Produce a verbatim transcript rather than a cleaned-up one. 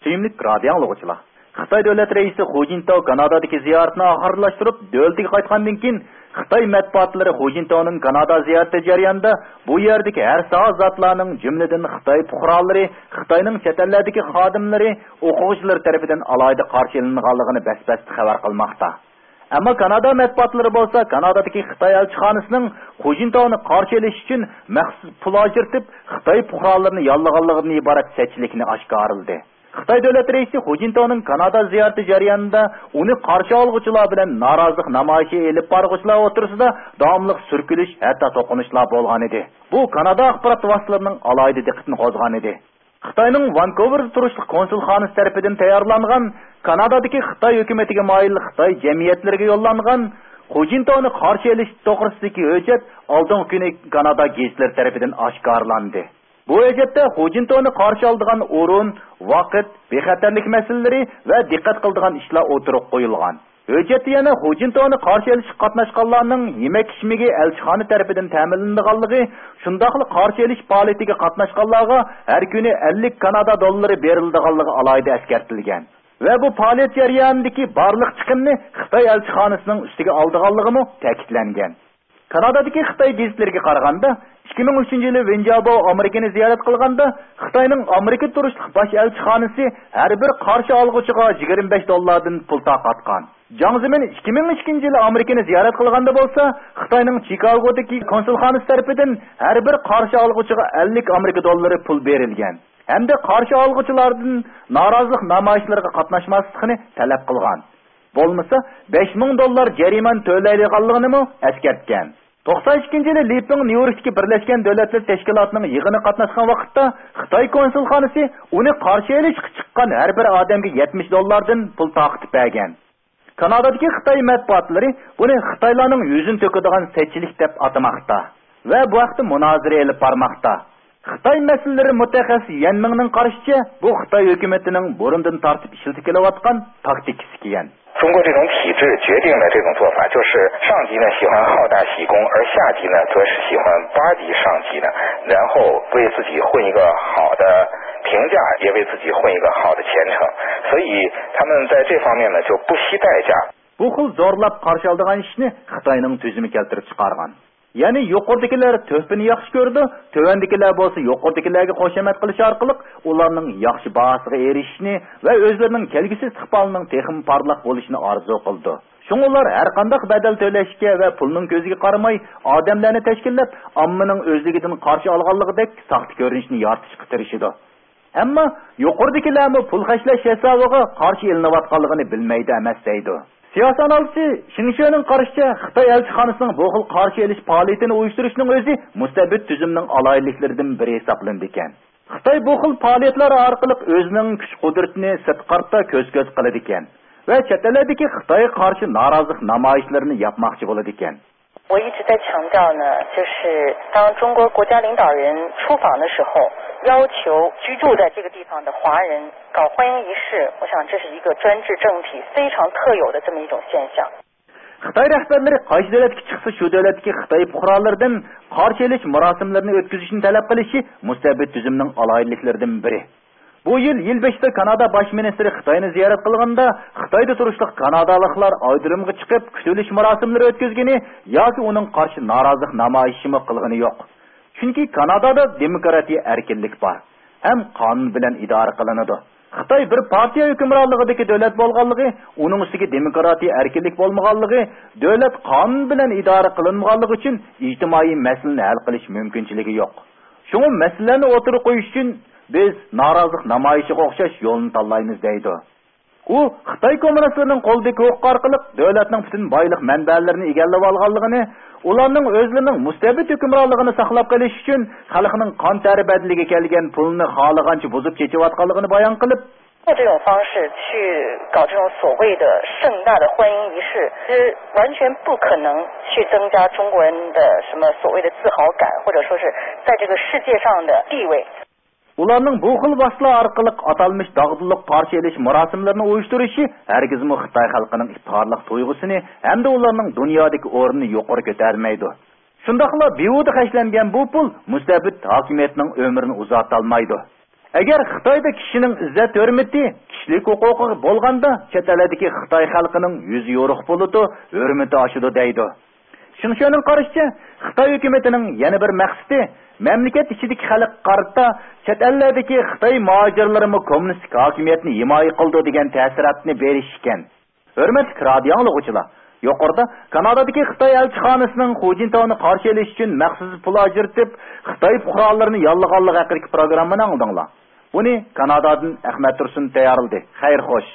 سۆيۈملۈك رادىئو ئاڭلىغۇچىلار، خىتاي دۆلەت رەئىسى خۇ جىنتاۋ كانادادىكى زىيارىتىنى ئاخىرلاشتۇرۇپ، دۆلىتىگە قايتقاندىن كېيىن، خىتاي مەتبۇئاتلىرى خۇ جىنتاۋنىڭ كانادا زىيارىتى جەريانىدا بۇ يەردىكى ھەر ساھە زاتلارنىڭ، جۈملىدىن خىتاي پۇقرالىرى، خىتاينىڭ چەت ئەللەردىكى خادىملىرى، ئوقۇغۇچىلىرى تەرىپىدىن ئالاھىدە قارشى ئېلىنغانلىقىنى بەس-بەستە خەۋەر قىلماقتا. ئەمما كانادا مەتبۇئاتلىرى بولسا كانادادىكى خىتاي ئەلچىخانىسىنىڭ خۇ جىنتاۋنى قارشى ئېلىش ئۈچۈن مەخسۇس پۇل ئاجرىتىپ، خىتاي پۇقرالىرىنى ياللىغانلىقىدىن ئىبارەت سەتچىلىكنى ئاشكارىلىدى. خىتاي دۆلەت رەئىسى خۇ جىنتاۋنىڭ كانادا زىيارىتى جەريانىدا ئۇنى قارشى ئالغۇچىلار بىلەن نارازىلىق نامايىشى ئېلىپ بارغۇچىلار ئوتتۇرىسىدا داۋاملىق سۈركىلىش، ھەتتا توقۇنۇشلار بولغانىدى. بۇ كانادا ئاخبارات ۋاسىتىلىرىنىڭ ئالاھىدە دىققىتىنى قوزغىغانىدى. خىتاينىڭ ۋانكوۋېردا تۇرۇشلۇق كونسۇلخانىسى تەرىپىدىن تەييارلانغان، كانادادىكى خىتاي ھۆكۈمىتىگە مايىل خىتاي جەمئىيەتلىرىگە يوللانغان خۇ جىنتاۋنى قارشى ئېلىش توغرىسىدىكى ھۆججەت ئالدىنقى كۈنى كانادا گېزىتلىرى تەرىپىدىن ئاشكارىلاندى. بۇ ھۆججەتتە خۇ جىنتاۋنى قارشى ئالىدىغان ئورۇن، ۋاقىت، بىخەتەرلىك مەسىلىلىرى ۋە دىققەت قىلىدىغان ئىشلار ئوتتۇرىغا قويۇلغان. ھۆججەتتە يەنە خۇ جىنتاۋنى قارشى ئېلىشقا قاتناشقانلارنىڭ يېمەك-ئىچمىكى ئەلچىخانا تەرىپىدىن تەمىنلىنىدىغانلىقى، شۇنداقلا قارشى ئېلىش پائالىيىتىگە قاتناشقانلارغا ھەر كۈنى ئەللىك كانادا دوللىرى بېرىلىدىغانلىقى ئالاھىدە ئەسكەرتىلگەن ۋە بۇ پائالىيەت جەريانىدىكى بارلىق چىقىمنى خىتاي ئەلچىخانىسىنىڭ ئۈستىگە ئالىدىغانلىقىمۇ تەكىتلەنگەن. كانادادىكى خىتاي گېزىتلىرىگە قارىغاندا، ئىككى مىڭ ئۈچىنچى يىلى ۋېن جياباۋ ئامېرىكىنى زىيارەت قىلغاندا، خىتاينىڭ ئامېرىكا تۇرۇشلۇق باش ئەلچىخانىسى ھەر بىر قارشى ئالغۇچىغا يىگىرمە بەش دوللاردىن پۇل تارقاتقان. جاڭ زېمىن ئىككى مىڭ ئىككىنچى يىلى ئامېرىكىنى زىيارەت قىلغاندا بولسا، خىتاينىڭ چىكاگودىكى كونسۇلخانىسى تەرىپىدىن ھەر بىر قارشى ئالغۇچىغا ئەللىك ئامېرىكا دوللىرى پۇل بېرىلگەن ھەمدە قارشى ئالغۇچىلاردىن نارازىلىق نامايىشلىرىغا قاتناشماسلىقىنى تەلەپ قىلغان. بولمىسا، بەش مىڭ دوللار جەرىمانە تۆلەيدىغانلىقىنىمۇ ئەسكەرتكەن. توقسان ئىككىنچى يىلى لى پېڭ نيۇ يوركتىكى بىرلەشكەن دۆلەتلەر تەشكىلاتىنىڭ يىغىنىغا قاتناشقان ۋاقىتتا، خىتاي كونسۇلخانىسى ئۇنى قارشى ئېلىشقا چىققان ھەر بىر ئادەمگە يەتمىش دوللاردىن پۇل تارقىتىپ بەرگەن. كانادادىكى خىتاي مەتبۇئاتلىرى بۇنى خىتايلارنىڭ يۈزىنى تۆكىدىغان سەتچىلىك دەپ ئاتىماقتا ۋە بۇ ھەقتە مۇنازىرە ئېلىپ بارماقتا. خىتاي مەسىلىلىرى مۇتەخەسسىسى يەن مىڭنىڭ قارىشىچە، بۇ خىتاي ھۆكۈمىتىنىڭ بۇرۇندىن تارتىپ ئىشلىتىپ كېلىۋاتقان تاكتىكىسى ئىكەن. 中国这种体制决定了这种做法，就是上级呢喜欢好大喜功，而下级呢则是喜欢巴结上级呢，然后为自己混一个好的评价，也为自己混一个好的前程。所以他们在这方面呢就不惜代价。 بۇ خىل زورلاپ قارشى ئالىدىغان ئىشنى خىتاينىڭ تۈزۈمى كەلتۈرۈپ چىقارغان. يەنى يۇقىرىدىكىلەر تۆھپىنى ياخشى كۆرىدۇ، تۆۋەندىكىلەر بولسا يۇقىرىدىكىلەرگە خۇشامەت قىلىش ئارقىلىق ئۇلارنىڭ ياخشى باھاسىغا ئېرىشىشىنى ۋە ئۆزلىرىنىڭ كەلگۈسى ئىستىقبالىنىڭ تېخىمۇ پارلاق بولۇشىنى ئارزۇ قىلىدۇ. شۇڭا ئۇلار ھەرقانداق بەدەل تۆلەشكە ۋە پۇلنىڭ كۆزىگە قارىماي ئادەملەرنى تەشكىللەپ، ئاممىنىڭ ئۆزلۈكىدىن قارشى ئالغانلىقىدەك ساختا كۆرۈنۈشنى يارىتىشقا تىرىشىدۇ. ئەمما يۇقىرىدىكىلەرمۇ پۇل خەجلەش ھېسابىغا قارشى ئېلىنىۋاتقانلىقىنى بىلمەيدۇ ئەمەس دەيدۇ. سىياسىي ئانالىزچى شېڭ شۈنىڭ قارىشىچە، خىتاي ئەلچىخانىسىنىڭ بۇ خىل قارشى ئېلىش پائالىيىتىنى ئۇيۇشتۇرۇشنىڭ ئۆزى مۇستەبىت تۈزۈمنىڭ ئالاھىدىلىكلىرىدىن بىرى ھېسابلىنىدىكەن. خىتاي بۇ خىل پائالىيەتلەر ئارقىلىق ئۆزىنىڭ كۈچ-قۇدرىتىنى سىرتقا كۆز-كۆز قىلىدىكەن ۋە چەت ئەللەردىكى خىتايغا قارشى نارازىلىق نامايىشلىرىنى ياپماقچى بولىدىكەن. 我一直在强调呢，就是当中国国家领导人出访的时候，要求居住在这个地方的华人搞欢迎仪式，我想这是一个专制政体非常特有的这么一种现象。 خىتاي رەھبەرلىرى قايسى دۆلەتكە چىقسا، شۇ دۆلەتتىكى خىتاي پۇقرالىرىدىن قارشى ئېلىش مۇراسىملىرىنى ئۆتكۈزۈشنى تەلەپ قىلىشى مۇستەبىت تۈزۈمنىڭ ئالاھىدىلىكلىرىدىن بىرى. بۇ يىل يىل بېشىدا كانادا باش مىنىستىرى خىتاينى زىيارەت قىلغاندا، خىتايدا تۇرۇشلۇق كانادالىقلار ئايرودرومغا چىقىپ، كۈتۈۋېلىش مۇراسىملىرى ئۆتكۈزگىنى ياكى ئۇنىڭغا قارشى نارازىلىق نامايىشىمۇ قىلغىنى يوق. چۈنكى كانادادا دېموكراتىيە ئەركىنلىك بار ھەم قانۇن بىلەن ئىدارە قىلىنىدۇ. خىتاي بىر پارتىيە ھۆكۈمرانلىقىدىكى دۆلەت بولغانلىقى، ئۇنىڭ ئۈستىگە دېموكراتىيە ئەركىنلىك بولمىغانلىقى، دۆلەت قانۇن بىلەن ئىدارە قىلىنمىغانلىقى ئۈچۈن ئىجتىمائىي مەسىلىنى ھەل قىلىش مۇمكىنچىلىكى يوق. شۇڭا مەسىلىلەرنى ئوتتۇرىغا قويۇش ئۈچۈن بىز نارازىلىق نامايىشىغا ئوخشاش يولنى تاللايمىز دەيدۇ. ئۇ خىتاي كوممۇنىستلىرىنىڭ قولىدىكى ھوقۇق ئارقىلىق دۆلەتنىڭ پۈتۈن بايلىق مەنبەلىرىنى ئىگىلەۋالغانلىقىنى، ئۇلارنىڭ ئۆزلىرىنىڭ مۇستەبىت ھۆكۈمرانلىقىنى ساقلاپ قېلىش ئۈچۈن خەلقنىڭ قان تەرى بەدىلىگە كەلگەن پۇلىنى خالىغانچە بۇزۇپ چېچىۋاتقانلىقىنى بايان قىلىپ، 用这种方式去搞这种所谓的盛大的欢迎仪式，其实完全不可能去增加中国人的什么所谓的自豪感，或者说是在这个世界上的地位。 ئۇلارنىڭ بۇ خىل ۋاسىتىلەر ئارقىلىق ئاتالمىش داغدۇغىلىق قارشى ئېلىش مۇراسىملىرىنى ئۇيۇشتۇرۇشى ھەرگىزمۇ خىتاي خەلقىنىڭ ئىپتىخارلىق تۇيغۇسىنى ھەمدە ئۇلارنىڭ دۇنيادىكى ئورنىنى يۇقىرى كۆتەرمەيدۇ. شۇنداقلا بىھۇدە خەجلەنگەن بۇ پۇل مۇستەبىت ھاكىمىيەتنىڭ ئۆمرىنى ئۇزارتالمايدۇ. ئەگەر خىتايدا كىشىنىڭ ئىززەت ھۆرمىتى، كىشىلىك ھوقۇقىغا بولغاندا، چەت ئەللەردىكى خىتاي خەلقىنىڭ يۈزى يورۇق بولىدۇ، ھۆرمىتى ئاشىدۇ دەيدۇ. شېڭشۈەننىڭ قارىشىچە، خىتاي ھۆكۈمىتىنىڭ يەنە بىر مەقسىتى مەملىكەت ئىچىدىكى خەلققە قارىتا چەت ئەللەردىكى خىتاي مۇھاجىرلىرىمۇ كوممۇنىستىك ھاكىمىيەتنى ھىمايە قىلىدۇ دېگەن تەسىراتنى بېرىش ئىكەن. ھۆرمەتلىك رادىيو ئاڭلىغۇچىلار، يۇقىرىدا كانادادىكى خىتاي ئەلچىخانىسىنىڭ خۇجىنتاۋنى قارشى ئېلىش ئۈچۈن مەخسۇس پۇل ئاجرىتىپ، خىتاي پۇقرالىرىنى ياللىغانلىقى ھەققىدىكى پروگراممىنى ئاڭلىدىڭلار. بۇنى كانادادىن ئەخمەت تۇرسۇن تەييارلىدى. خەير خوش.